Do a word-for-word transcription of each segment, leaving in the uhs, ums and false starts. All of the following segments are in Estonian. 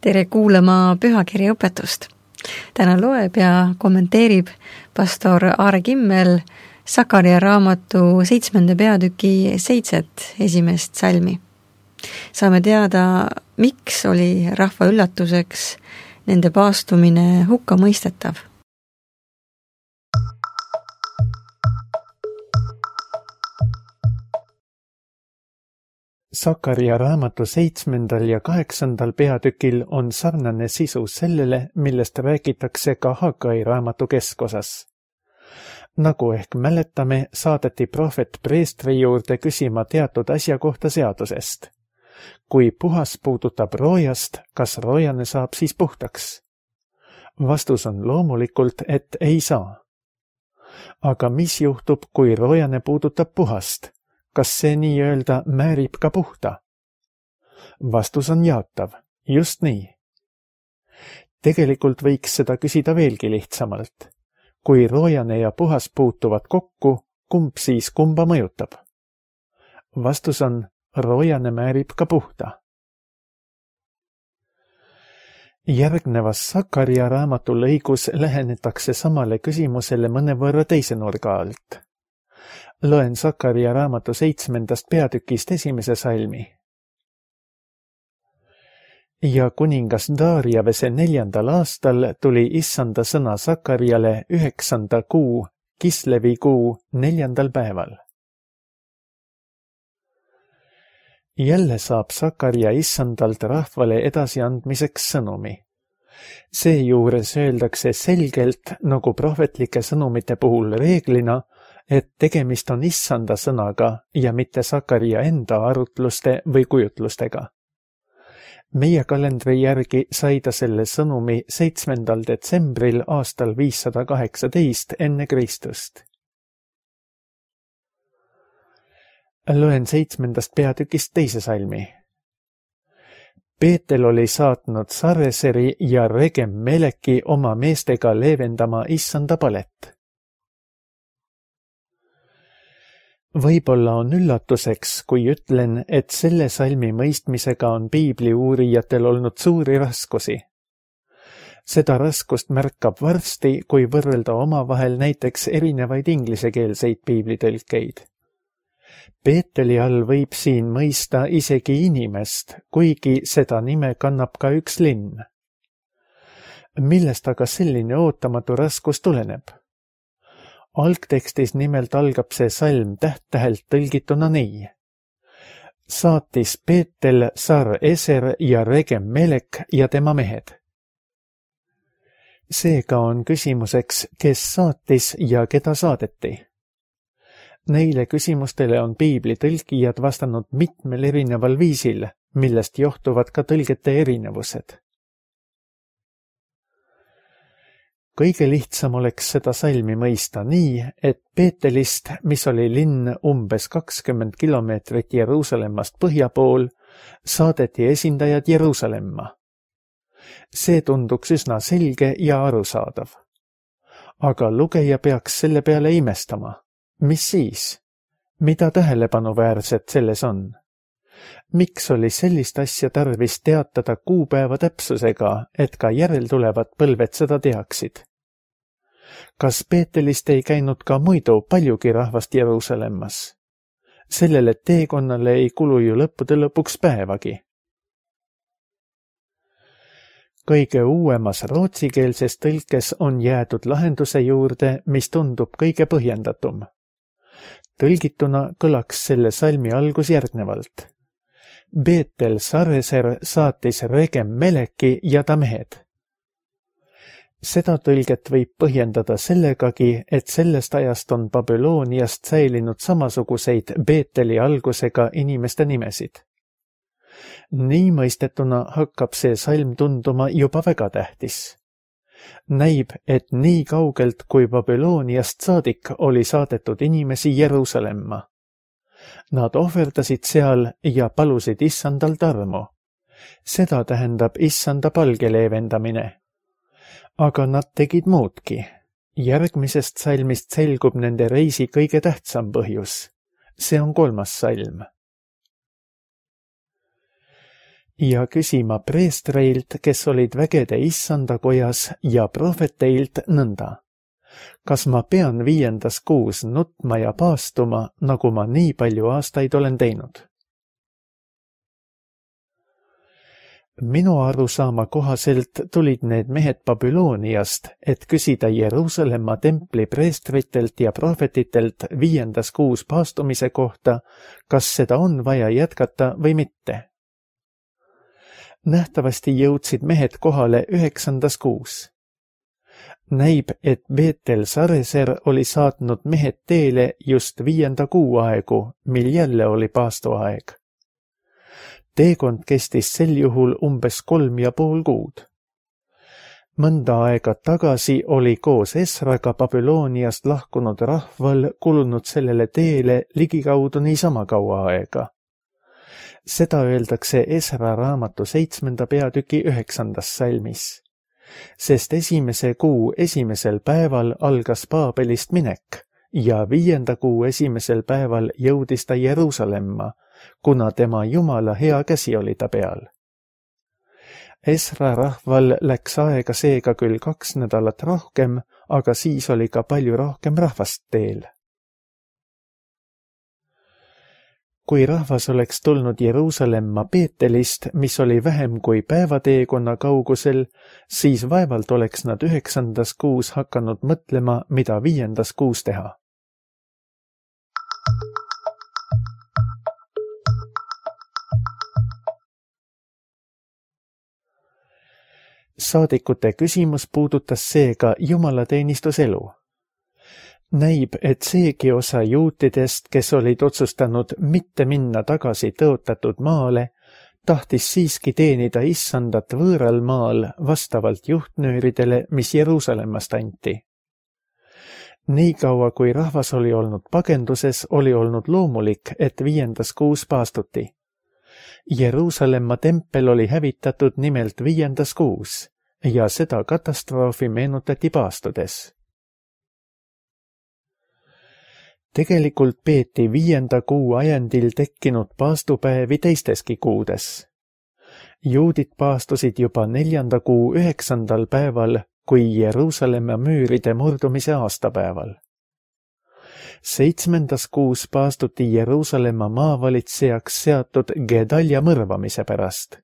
Tere kuulama pühakirja õpetust. Täna loeb ja kommenteerib pastor Aare Kimmel Sakaria raamatu seitsmenda peatüki seitset esimest salmi. Saame teada, miks oli rahva üllatuseks nende paastumine hukka mõistetav. Sakaria raamatu seitsmendal ja kaheksandal peatükil on sarnane sisu sellele, millest räägitakse ka Hagai raamatu keskosas. Nagu ehk mäletame, saadeti prohvet preestri juurde küsima teatud asja kohta seadusest. Kui puhas puudutab roojast, kas roojane saab siis puhtaks? Vastus on loomulikult, et ei saa. Aga mis juhtub, kui roojane puudutab puhast? Kas see nii-öelda määrib ka puhta? Vastus on jaatav. Just nii. Tegelikult võiks seda küsida veelgi lihtsamalt. Kui roojane ja puhas puutuvad kokku, kumb siis kumba mõjutab? Vastus on, roojane määrib ka puhta. Järgnevas Sakaria raamatu lõigus lähenetakse samale küsimusele mõnevõrra teise nurga alt. Loen Sakaria raamatu seitsmendast peatükist esimese salmi. Ja kuningas Daariavese neljandal aastal tuli issanda sõna Sakariale üheksanda kuu, Kislevi kuu, neljandal päeval. Jälle saab Sakaria issandalt rahvale edasiandmiseks sõnumi. Seejuures öeldakse selgelt, nagu prohvetlike sõnumite puhul reeglina, et tegemist on issanda sõnaga ja mitte Sakaria enda arutluste või kujutlustega. Meie kalendri järgi sai ta selle sõnumi seitsmendal detsembril aastal viissada kaheksateist enne Kristust. Loen seitsmendast peatükist teise salmi. Peetel oli saatnud Sareseri ja Regem Meleki oma meestega leevendama issanda palet. Võib-olla on üllatuseks, kui ütlen, et selle salmi mõistmisega on piibli uurijatel olnud suuri raskusi. Seda raskust märkab varsti, kui võrrelda omavahel näiteks erinevaid inglisekeelseid piiblitõlkeid. Peeteli all võib siin mõista isegi inimest, kuigi seda nime kannab ka üks linn. Millest aga selline ootamatu raskus tuleneb? Algtekstis nimelt algab see salm täht-tähelt tõlgituna nii. Saatis Peetel, Sar-Eser ja Regem Melek ja tema mehed. Seega on küsimuseks, kes saatis ja keda saadeti. Neile küsimustele on piibli tõlkijad vastanud mitmel erineval viisil, millest johtuvad ka tõlgete erinevused. Kõige lihtsam oleks seda salmi mõista nii, et Peetelist, mis oli linn umbes kakskümmend kilomeetrit Jeruusalemmast põhja pool, saadeti esindajad Jeruusalemma. See tunduks üsna selge ja arusaadav. Aga lugeja peaks selle peale imestama. Mis siis? Mida tähelepanuväärset selles on? Miks oli sellist asja tarvis teatada kuupäeva täpsusega, et ka järeltulevad põlved seda teaksid? Kas Peetelist ei käinud ka muidu paljugi rahvast Jeruusalemmas? Sellele teekonnale ei kulu ju lõppude lõpuks päevagi. Kõige uuemas rootsikeelses tõlkes on jäädud lahenduse juurde, mis tundub kõige põhjendatum. Tõlgituna kõlaks selle salmi algus järgnevalt. Peetel Sareser saatis Regem Meleki ja ta mehed. Seda tõlget võib põhjendada sellegagi, et sellest ajast on Babyloniast säilinud samasuguseid Peeteli algusega inimeste nimesid. Nii mõistetuna hakkab see salm tunduma juba väga tähtis. Näib, et nii kaugelt kui Babyloniast saadik oli saadetud inimesi Jeruusalemma. Nad ohverdasid seal ja palusid issandalt armu. Seda tähendab issanda palge leevendamine. Aga nad tegid muudki. Järgmisest salmist selgub nende reisi kõige tähtsam põhjus. See on kolmas salm. ja küsima preestreilt, kes olid vägede issanda kojas, ja prohveteilt nõnda. Kas ma pean viiendas kuus nutma ja paastuma, nagu ma nii palju aastaid olen teinud? Minu arusaama kohaselt tulid need mehed Babyloniast, et küsida Jeruusalemma templi preestritelt ja prohvetitelt viiendas kuus paastumise kohta, kas seda on vaja jätkata või mitte. Nähtavasti jõudsid mehed kohale üheksandas kuus. Näib, et Beetel Sareser oli saatnud mehed teele just viienda kuu aegu, mil jälle oli paastuaeg. Teekond kestis sel juhul umbes kolm ja pool kuud. Mõnda aega tagasi oli koos Esraga Babyloniast lahkunud rahval kulunud sellele teele ligikaudu niisama kaua aega. Seda öeldakse Esra raamatu seitsmenda peatüki üheksandas salmis. Sest esimese kuu esimesel päeval algas Paabelist minek ja viienda kuu esimesel päeval jõudis ta Jeruusalemma, kuna tema Jumala hea käsi oli ta peal. Esra rahval läks aega seega küll kaks nädalat rohkem, aga siis oli ka palju rohkem rahvast teel. Kui rahvas oleks tulnud Jeruusalemma Beetelist, mis oli vähem kui päevateekonna kaugusel, siis vaevalt oleks nad üheksandas kuus hakanud mõtlema, mida viiendas kuus teha. Saadikute küsimus puudutas seega jumalateenistuselu. Näib, et seegi osa juutidest, kes olid otsustanud mitte minna tagasi tõotatud maale, tahtis siiski teenida issandat võõral maal vastavalt juhtnööridele, mis Jeruusalemmast anti. Nii kaua, kui rahvas oli olnud pagenduses, oli olnud loomulik, et viiendas kuus paastuti. Jeruusalemma tempel oli hävitatud nimelt viiendas kuus ja seda katastroofi meenutati paastudes. Tegelikult peeti viienda kuu ajendil tekkinud paastupäevi teisteski kuudes. Juudid paastusid juba neljanda kuu üheksandal päeval, kui Jeruusalemma müüride murdumise aastapäeval. Seitsmendas kuus paastuti Jeruusalemma maavalitsejaks seatud Gedalja mõrvamise pärast.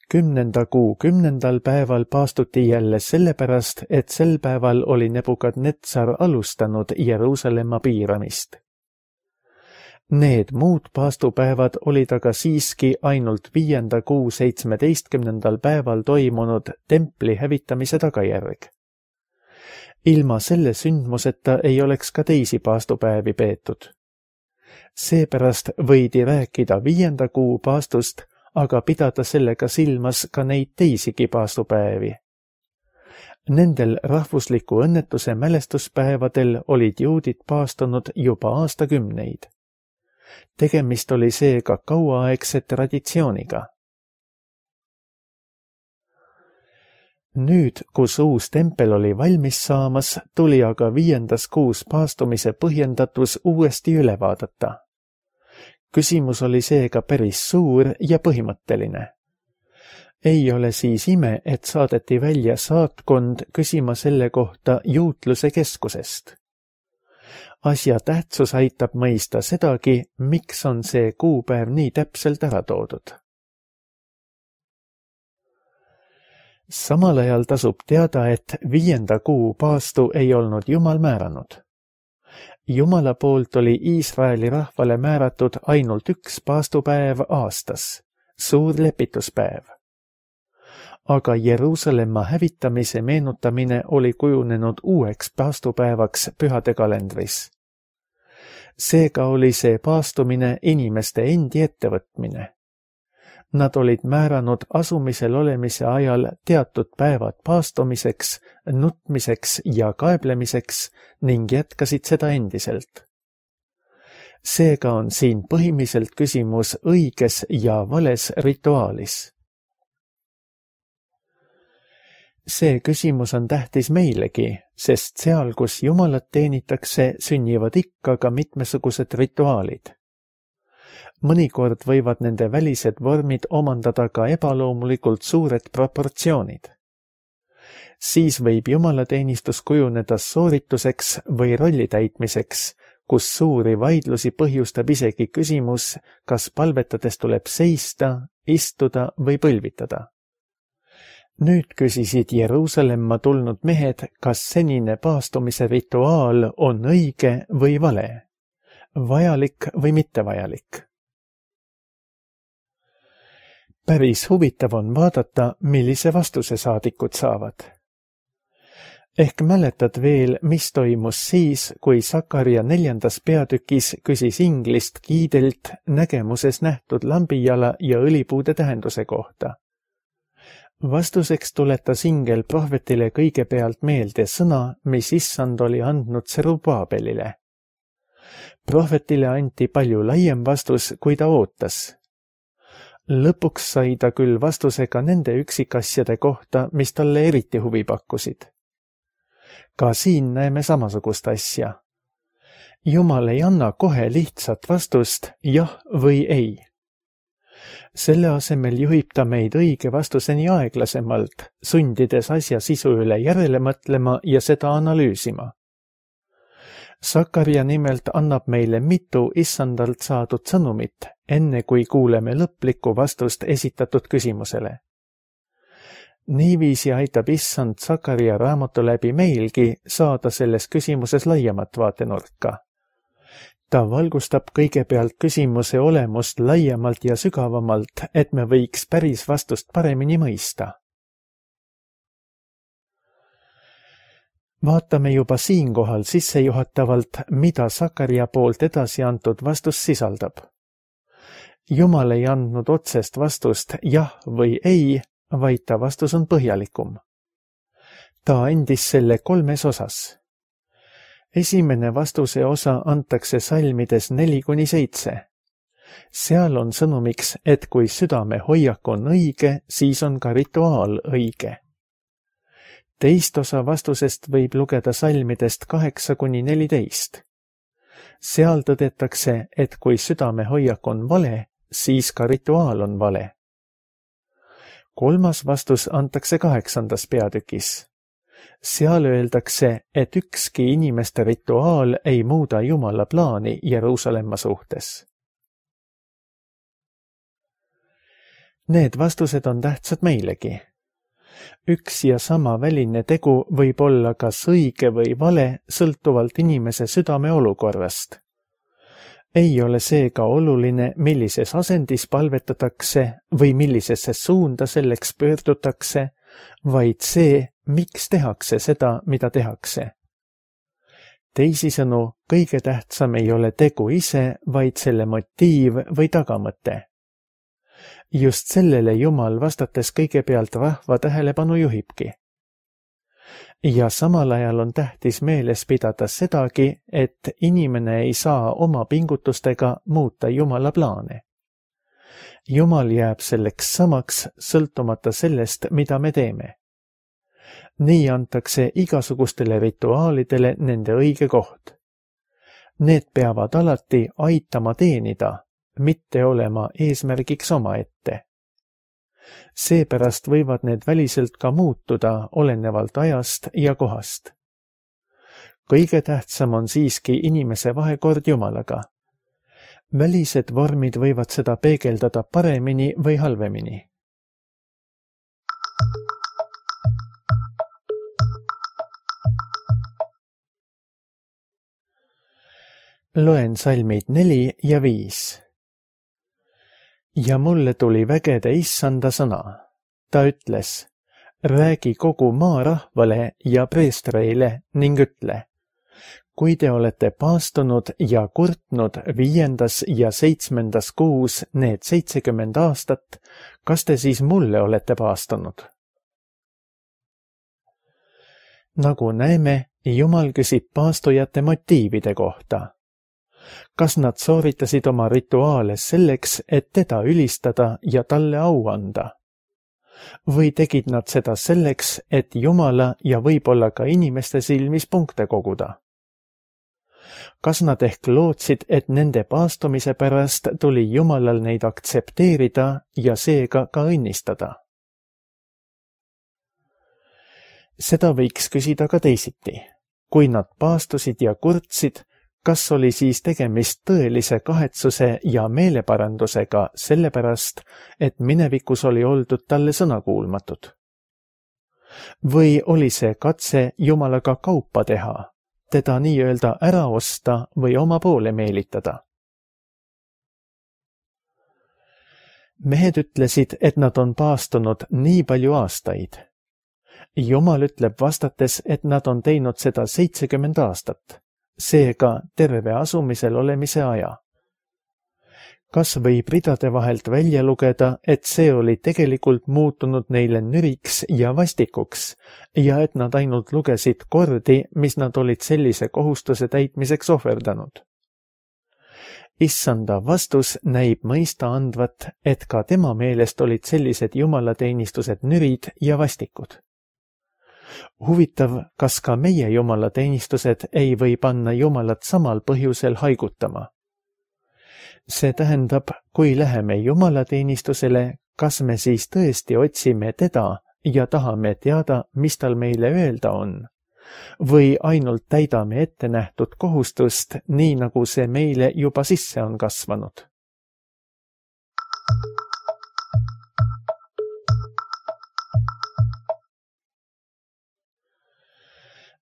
Kümnenda kuu kümnendal päeval paastuti jälle sellepärast, et sel päeval oli Nebukadnetsar alustanud Jeruusalemma piiramist. Need muud paastupäevad olid aga siiski ainult viienda kuu seitsmeteistkümnendal päeval toimunud templi hävitamise tagajärg. Ilma selle sündmuseta ei oleks ka teisi paastupäevi peetud. Seepärast võidi rääkida viienda kuu paastust, aga pidada sellega silmas ka neid teisigi paastupäevi. Nendel rahvusliku õnnetuse mälestuspäevadel olid juudid paastunud juba aastakümneid. Tegemist oli seega kauaaegse traditsiooniga. Nüüd, kus uus tempel oli valmis saamas, tuli aga viiendas kuus paastumise põhjendatus uuesti üle vaadata. Küsimus oli seega päris suur ja põhimõtteline. Ei ole siis ime, et saadeti välja saatkond küsima selle kohta juutluse keskusest. Asja tähtsus aitab mõista sedagi, miks on see kuupäev nii täpselt ära toodud. Samal ajal tasub teada, et viienda kuu paastu ei olnud Jumal määranud. Jumala poolt oli Iisraeli rahvale määratud ainult üks paastupäev aastas, suur lepituspäev. Aga Jeruusalemma hävitamise meenutamine oli kujunenud uueks paastupäevaks pühade kalendris. Seega oli see paastumine inimeste endi ettevõtmine. Nad olid määranud asumisel olemise ajal teatud päevad paastumiseks, nutmiseks ja kaeblemiseks ning jätkasid seda endiselt. Seega on siin põhimiselt küsimus õiges ja vales rituaalis. See küsimus on tähtis meilegi, sest seal, kus Jumalat teenitakse, sünnivad ikka ka mitmesugused rituaalid. mõnikord võivad nende välised vormid omandada ka ebaloomulikult suured proportsioonid. Siis võib jumalateenistus kujuneda soorituseks või rolli täitmiseks, kus suuri vaidlusi põhjustab isegi küsimus, kas palvetades tuleb seista, istuda või põlvitada. Nüüd küsisid Jeruusalemma tulnud mehed, kas senine paastumise rituaal on õige või vale, vajalik või mittevajalik. Päris huvitav on vaadata, millise vastuse saadikud saavad. Ehk mäletad veel, mis toimus siis, kui Sakaria neljandas peatükis küsis inglist kiidelt nägemuses nähtud lambijala ja õlipuude tähenduse kohta. Vastuseks tuletas ingel prohvetile kõigepealt meelde sõna, mis issand oli andnud Serubaabelile. Prohvetile anti palju laiem vastus, kui ta ootas. Lõpuks sai ta küll vastuse ka nende üksikasjade kohta, mis talle eriti huvi pakkusid. Ka siin näeme samasugust asja. Jumal ei anna kohe lihtsat vastust jah või ei. Selle asemel juhib ta meid õige vastuseni aeglasemalt, sundides asja sisu üle järele mõtlema ja seda analüüsima. Sakaria nimelt annab meile mitu issandalt saadud sõnumit, enne kui kuuleme lõplikku vastust esitatud küsimusele. Niiviisi aitab issand Sakaria raamatu läbi meilgi saada selles küsimuses laiemat vaatenurka. Ta valgustab kõigepealt küsimuse olemust laiemalt ja sügavamalt, et me võiks päris vastust paremini mõista. Vaatame juba siinkohal sissejuhatavalt, mida Sakaria poolt edasi antud vastus sisaldab. Jumal ei andnud otsest vastust jah või ei, vaid ta vastus on põhjalikum. Ta andis selle kolmes osas. Esimene vastuse osa antakse salmides neli kuni seitse. Seal on sõnumiks, et kui südame hoiak on õige, siis on ka rituaal õige. Teist osa vastusest võib lugeda salmidest kaheksa kuni neliteist. Seal tõdetakse, et kui südame hoiak on vale, siis ka rituaal on vale. Kolmas vastus antakse kaheksandas peatükis. Seal öeldakse, et ükski inimeste rituaal ei muuda Jumala plaani Jeruusalemma suhtes. Need vastused on tähtsad meilegi. Üks ja sama väline tegu võib olla kas õige või vale, sõltuvalt inimese südame olukorrast. Ei ole seega oluline, millises asendis palvetatakse või millisesse suunda selleks pöördutakse, vaid see, miks tehakse seda, mida tehakse. Teisisõnu, kõige tähtsam ei ole tegu ise, vaid selle motiiv või tagamõte. Just sellele Jumal vastates kõigepealt rahva tähelepanu juhibki. Ja samal ajal on tähtis meeles pidada sedagi, et inimene ei saa oma pingutustega muuta Jumala plaane. Jumal jääb selleks samaks, sõltumata sellest, mida me teeme. Nii antakse igasugustele rituaalidele nende õige koht. Need peavad alati aitama teenida, mitte olema eesmärgiks omaette. Seepärast võivad need väliselt ka muutuda olenevalt ajast ja kohast. Kõige tähtsam on siiski inimese vahekord Jumalaga. Välised vormid võivad seda peegeldada paremini või halvemini. Loen salmid neli ja viis. Ja mulle tuli vägede issanda sõna. Ta ütles, räägi kogu maa rahvale ja preestreile ning ütle, kui te olete paastunud ja kurtnud viiendas ja seitsmendas kuus need seitsekümmend aastat, kas te siis mulle olete paastunud? Nagu näeme, Jumal küsib paastujate motiivide kohta. Kas nad sooritasid oma rituaale selleks, et teda ülistada ja talle au anda? Või tegid nad seda selleks, et Jumala ja võib-olla ka inimeste silmis punkte koguda? Kas nad ehk lootsid, et nende paastumise pärast tuli Jumalal neid aktsepteerida ja seega ka õnnistada? Seda võiks küsida ka teisiti. Kui nad paastusid ja kurtsid, kas oli siis tegemist tõelise kahetsuse ja meeleparandusega sellepärast, et minevikus oli oldud talle sõnakuulmatud? Või oli see katse Jumalaga kaupa teha, teda nii-öelda ära osta või oma poole meelitada? Mehed ütlesid, et nad on paastunud nii palju aastaid. Jumal ütleb vastates, et nad on teinud seda seitsekümmend aastat, seega terve asumisel olemise aja. Kas võib ridade vahelt välja lugeda, et see oli tegelikult muutunud neile nüriks ja vastikuks ja et nad ainult lugesid kordi, mis nad olid sellise kohustuse täitmiseks ohverdanud? Issanda vastus näib mõista andvat, et ka tema meelest olid sellised jumalateenistused nürid ja vastikud. Huvitav, kas ka meie jumalateenistused ei või panna Jumalat samal põhjusel haigutama? See tähendab, kui läheme jumalateenistusele, kas me siis tõesti otsime teda ja tahame teada, mis tal meile öelda on? Või ainult täidame ette nähtud kohustust, nii nagu see meile juba sisse on kasvanud?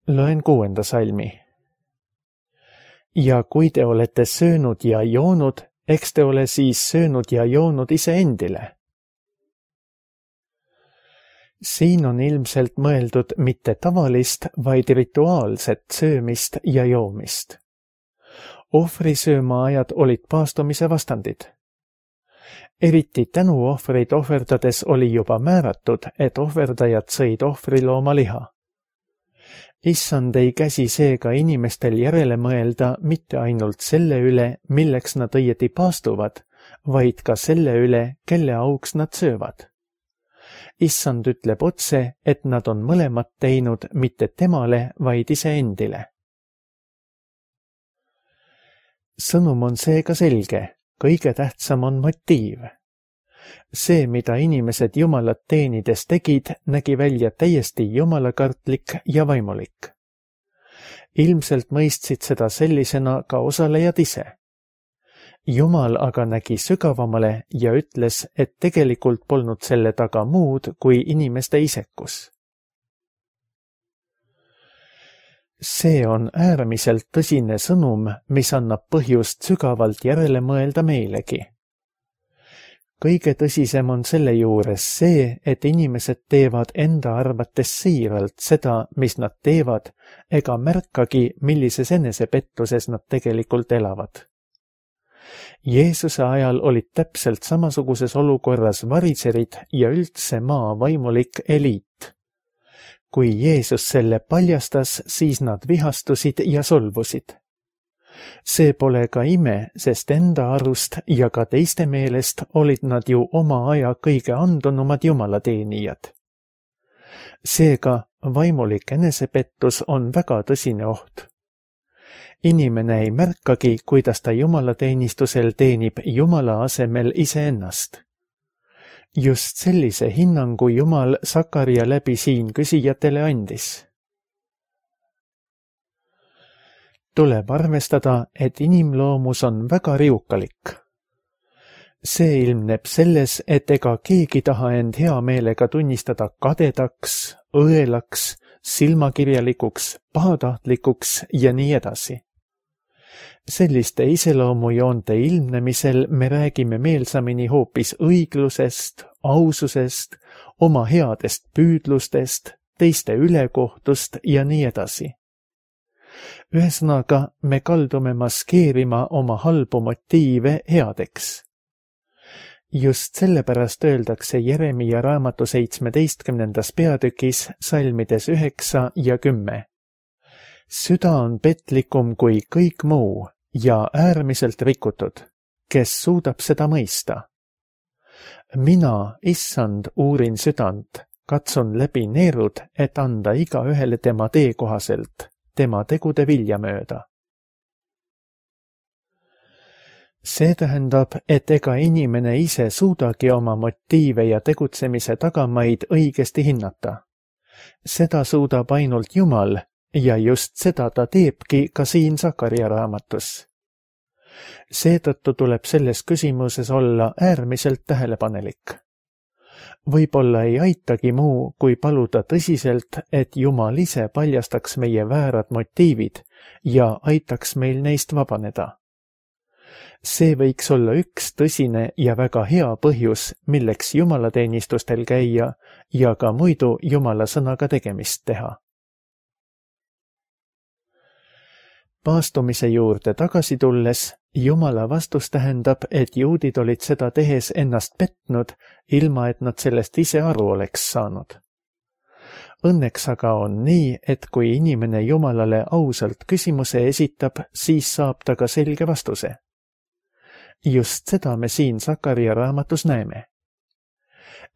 Loen kuuenda salmi. Ja kui te olete söönud ja joonud, eks te ole siis söönud ja joonud iseendile. Siin on ilmselt mõeldud mitte tavalist, vaid rituaalset söömist ja joomist. Ohvrisöömaajad olid paastumise vastandid. Eriti tänuohvreid ohverdades oli juba määratud, et ohverdajad sõid ohvrilooma liha. Issand ei käsi seega inimestel järele mõelda mitte ainult selle üle, milleks nad õieti paastuvad, vaid ka selle üle, kelle auks nad söövad. Issand ütleb otse, et nad on mõlemat teinud mitte temale, vaid iseendile. Sõnum on seega selge, kõige tähtsam on motiiv. See, mida inimesed Jumalat teenides tegid, nägi välja täiesti jumalakartlik ja vaimulik. Ilmselt mõistsid seda sellisena ka osalejad ise. Jumal aga nägi sügavamale ja ütles, et tegelikult polnud selle taga muud kui inimeste isekus. See on äärmiselt tõsine sõnum, mis annab põhjust sügavalt järele mõelda meilegi. Kõige tõsisem on selle juures see, et inimesed teevad enda arvates siiralt seda, mis nad teevad, ega märkagi, millises enesepettuses nad tegelikult elavad. Jeesuse ajal olid täpselt samasuguses olukorras varitserid ja üldse maa vaimulik eliit. Kui Jeesus selle paljastas, siis nad vihastusid ja solvusid. See pole ka ime, sest enda arust ja ka teiste meelest olid nad ju oma aja kõige andunumad jumalateenijad. Seega vaimulik enesepettus on väga tõsine oht. Inimene ei märkagi, kuidas ta jumalateenistusel teenib Jumala asemel iseennast. Just sellise hinnangu Jumal Sakaria läbi siin küsijatele andis. Tuleb arvestada, et inimloomus on väga riukalik. See ilmneb selles, et ega keegi taha end hea meelega tunnistada kadedaks, õelaks, silmakirjalikuks, pahatahtlikuks ja nii edasi. Selliste iseloomujoonte ilmnemisel me räägime meelsamini hoopis õiglusest, aususest, oma headest püüdlustest, teiste ülekohtust ja nii edasi. Ühesõnaga, me kaldume maskeerima oma halbu motiive headeks. Just sellepärast öeldakse Jeremia raamatu seitsmeteistkümnendas peatükis salmides üheksa ja kümme. Süda on petlikum kui kõik muu ja äärmiselt rikutud, kes suudab seda mõista. Mina, issand, uurin südant, katsun läbi neerud, et anda iga ühele tema tee kohaselt, tema tegude vilja mööda. See tähendab, et ega inimene ise suudagi oma motiive ja tegutsemise tagamaid õigesti hinnata. Seda suudab ainult Jumal ja just seda ta teebki ka siin Sakaria raamatus. Seetõttu tuleb selles küsimuses olla äärmiselt tähelepanelik. Võib-olla ei aitagi muu, kui paluda tõsiselt, et Jumal ise paljastaks meie väärad motiivid ja aitaks meil neist vabaneda. See võiks olla üks tõsine ja väga hea põhjus, milleks jumalateenistustel käia ja ka muidu Jumala sõnaga tegemist teha. Paastumise juurde tagasi tulles, Jumala vastus tähendab, et juudid olid seda tehes ennast petnud, ilma et nad sellest ise aru oleks saanud. Õnneks aga on nii, et kui inimene Jumalale ausalt küsimuse esitab, siis saab ta ka selge vastuse. Just seda me siin Sakaria raamatus näeme.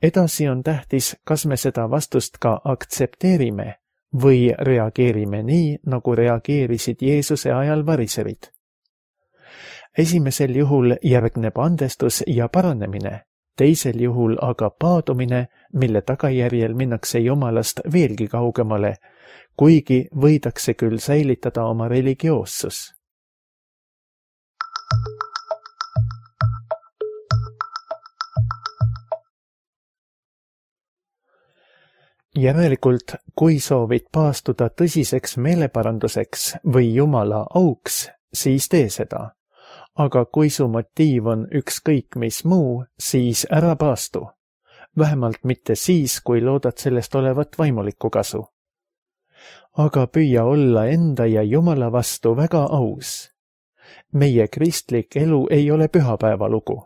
Edasi on tähtis, kas me seda vastust ka aktsepteerime või reageerime nii, nagu reageerisid Jeesuse ajal variserid. Esimesel juhul järgneb andestus ja paranemine, teisel juhul aga paadumine, mille tagajärjel minnakse Jumalast veelgi kaugemale, kuigi võidakse küll säilitada oma religioossus. Järelikult, kui soovid paastuda tõsiseks meeleparanduseks või Jumala auks, siis tee seda. Aga kui su motiiv on ükskõik mis muu, siis ära paastu. Vähemalt mitte siis, kui loodad sellest olevat vaimulikku kasu. Aga püüa olla enda ja Jumala vastu väga aus. Meie kristlik elu ei ole pühapäeva lugu.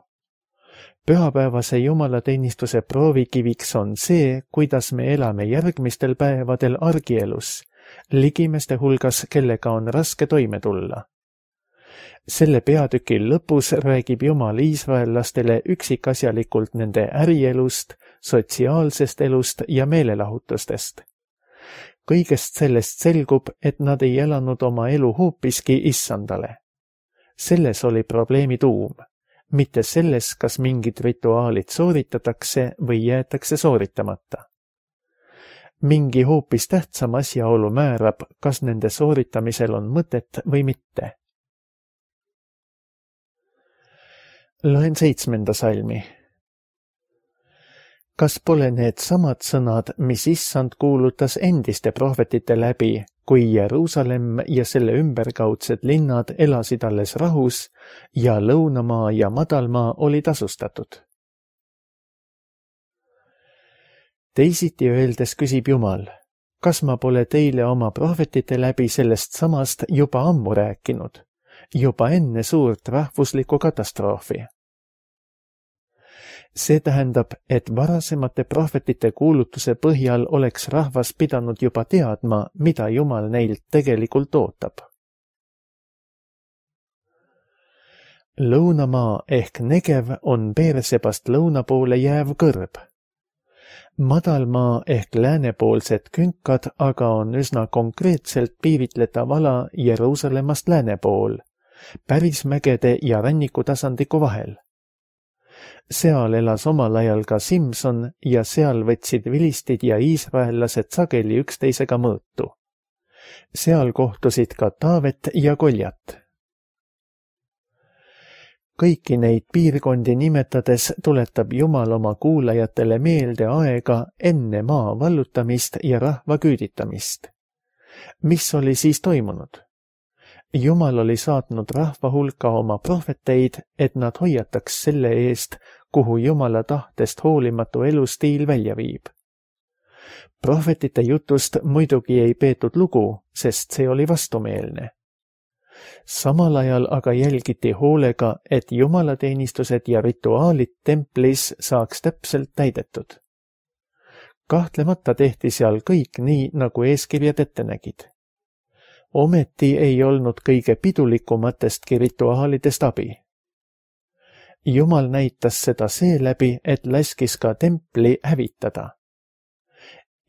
Pühapäevase jumalateenistuse proovikiviks on see, kuidas me elame järgmistel päevadel argielus, ligimeste hulgas, kellega on raske toime tulla. Selle peatükil lõpus räägib Jumal iisraellastele üksikasjalikult nende ärielust, sotsiaalsest elust ja meelelahutustest. Kõigest sellest selgub, et nad ei elanud oma elu hoopiski issandale. Selles oli probleemi tuum. Mitte selles, kas mingid rituaalid sooritatakse või jäetakse sooritamata. Mingi hoopis tähtsam asjaolu määrab, kas nende sooritamisel on mõtet või mitte. Loen seitsmenda salmi. Kas pole need samad sõnad, mis issand kuulutas endiste prohvetite läbi, kui Jeruusalemm ja selle ümberkaudsed linnad elasid alles rahus ja lõunamaa ja madalmaa oli tasustatud? Teisiti öeldes küsib Jumal, kas ma pole teile oma prohvetite läbi sellest samast juba ammu rääkinud, juba enne suurt rahvuslikku katastroofi? See tähendab, et varasemate prohvetite kuulutuse põhjal oleks rahvas pidanud juba teadma, mida Jumal neilt tegelikult ootab. Lõunamaa ehk Negev on Beersebast lõuna poole jääv kõrb. Madalmaa ehk läänepoolsed künkad aga on üsna konkreetselt piiritletav ala Jeruusalemmast lääne pool, päris mägede ja rannikutasandliku vahel. Seal elas omal ajal ka Simson ja seal võtsid vilistid ja iisraellased sageli üksteisega mõõtu. Seal kohtusid ka Taavet ja Goljat. Kõiki neid piirkondi nimetades tuletab Jumal oma kuulajatele meelde aega enne maa vallutamist ja rahva küüditamist. Mis oli siis toimunud? Jumal oli saatnud rahva hulka oma prohveteid, et nad hoiataks selle eest, kuhu Jumala tahtest hoolimatu elustiil välja viib. Prohvetite jutust muidugi ei peetud lugu, sest see oli vastumeelne. Samal ajal aga jälgiti hoolega, et jumalateenistused ja rituaalid templis saaks täpselt täidetud. Kahtlemata tehti seal kõik nii, nagu eeskirjad ette nägid. Ometi ei olnud kõige pidulikumatestki rituaalidest abi. Jumal näitas seda seeläbi, et laskis ka templi hävitada.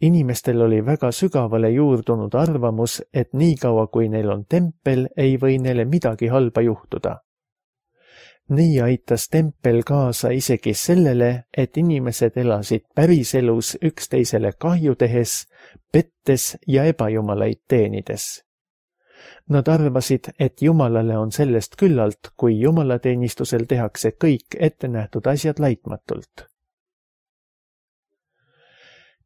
Inimestel oli väga sügavale juurdunud arvamus, et niikaua kui neil on tempel, ei või neile midagi halba juhtuda. Nii aitas tempel kaasa isegi sellele, et inimesed elasid päriselus üksteisele kahju tehes, pettes ja ebajumalaid teenides. Nad arvasid, et Jumalale on sellest küllalt, kui jumalateenistusel tehakse kõik ettenähtud asjad laitmatult.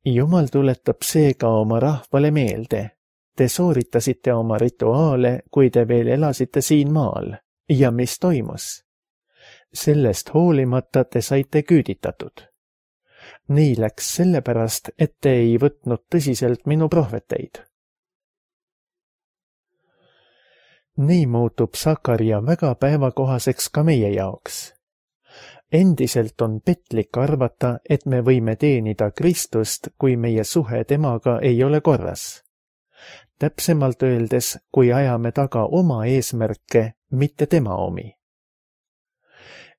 Jumal tuletab seega oma rahvale meelde. Te sooritasite oma rituaale, kui te veel elasite siin maal. Ja mis toimus? Sellest hoolimata te saite küüditatud. Nii läks sellepärast, et te ei võtnud tõsiselt minu prohveteid. Nii muutub Sakaria väga päevakohaseks ka meie jaoks. Endiselt on petlik arvata, et me võime teenida Kristust, kui meie suhe temaga ei ole korras. Täpsemalt öeldes, kui ajame taga oma eesmärke, mitte tema omi.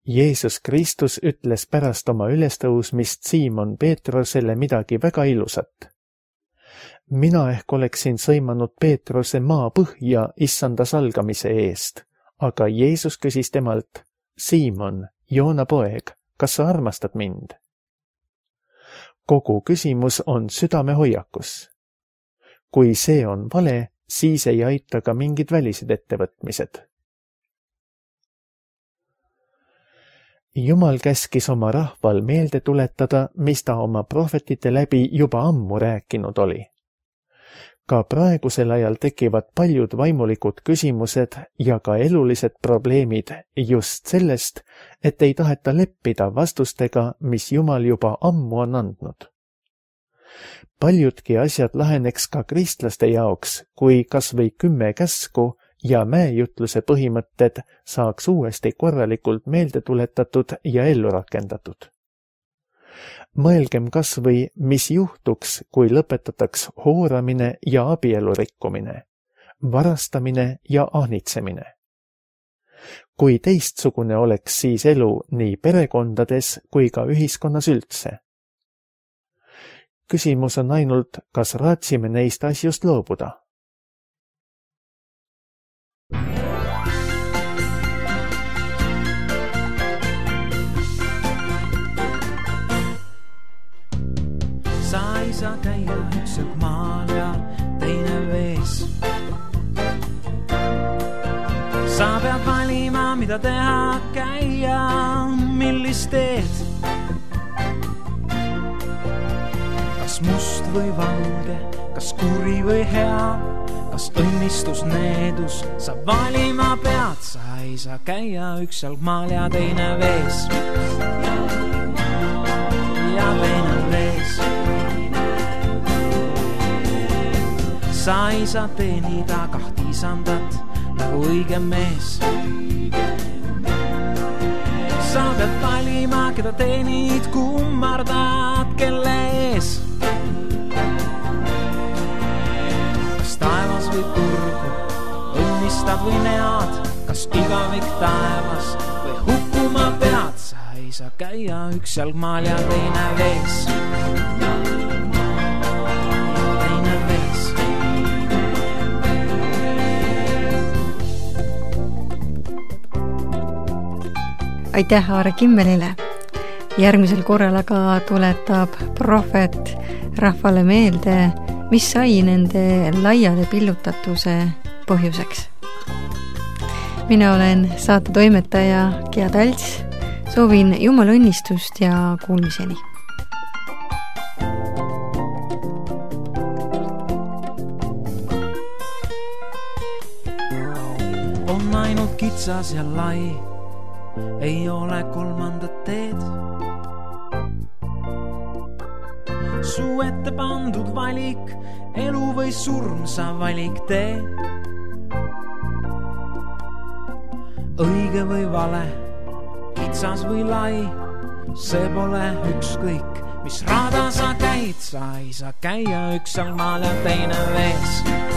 Jeesus Kristus ütles pärast oma ülestõusmist Siimon Peetrosele midagi väga ilusat. Mina ehk oleksin sõimanud Peetrose maa põhja issanda salgamise eest, aga Jeesus küsis temalt, Siimon, Joona poeg, kas sa armastad mind? Kogu küsimus on südamehoiakus. Kui see on vale, siis ei aita ka mingid välised ettevõtmised. Jumal käskis oma rahval meelde tuletada, mis ta oma prohvetite läbi juba ammu rääkinud oli. Ka praegusel ajal tekivad paljud vaimulikud küsimused ja ka elulised probleemid just sellest, et ei taheta leppida vastustega, mis Jumal juba ammu on andnud. Paljudki asjad laheneks ka kristlaste jaoks, kui kas või kümme käsku ja mäejutluse põhimõtted saaks uuesti korralikult meelde tuletatud ja ellu rakendatud. Mõelgem kas või, mis juhtuks, kui lõpetataks hooramine ja abielu rikkumine, varastamine ja ahnitsemine. Kui teistsugune oleks siis elu nii perekondades kui ka ühiskonnas üldse. Küsimus on ainult, kas raatsime neist asjust loobuda. Sa ei saa käia üks jalg maal ja teine vees. Sa pead valima, mida teha, käia, millist teed. Kas must või valge, kas kuri või hea, kas õnnistus, needus, sa valima pead. Sa ei saa käia üks jalg maal ja teine vees. Ja teine vees. Sa ei saa teenida kahti isandat nagu õige mees. Sa pead valima, keda teenid, kummardad, kelle ees. Kas taevas või turgu, õnnistad või nead, kas igavik taevas või hukkuma pead. Sa ei saa käia üks jalg maal ja teine vees. Aitäh Aare Kimmelile. Järgmisel korral aga tuletab prohvet rahvale meelde, mis sai nende laiade pillutatuse põhjuseks. Mina olen saate toimetaja Gea Talts. Soovin Jumala õnnistust ja kuulmiseni. On ainult kitsas ja lai. Ei ole kolmandat teed. Su ette pandud valik, elu või surm, sa valik tee. Õige või vale, kitsas või lai, see pole ükskõik, mis rada sa käid. Sa ei saa käia üks jalg maal ja teine vees.